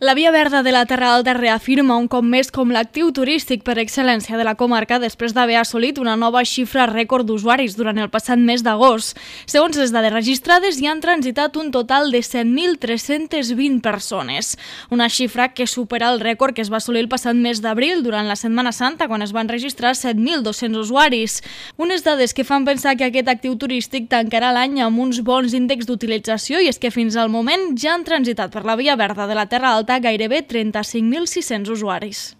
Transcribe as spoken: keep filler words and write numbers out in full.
La Via Verda de la Terra Alta reafirma un cop més com l'actiu turístic per excel·lència de la comarca després d'haver assolit una nova xifra rècord d'usuaris durant el passat mes d'agost. Segons les dades registrades, hi han transitat un total de set mil tres-centes vint persones, una xifra que supera el rècord que es va assolir el passat mes d'abril durant la Setmana Santa, quan es van registrar set mil dos-cents usuaris. Unes dades que fan pensar que aquest actiu turístic tancarà l'any amb uns bons índexs d'utilització, i és que fins al moment ja han transitat per la Via Verda de la Terra Alta gairebé trenta-cinc mil sis-cents usuaris.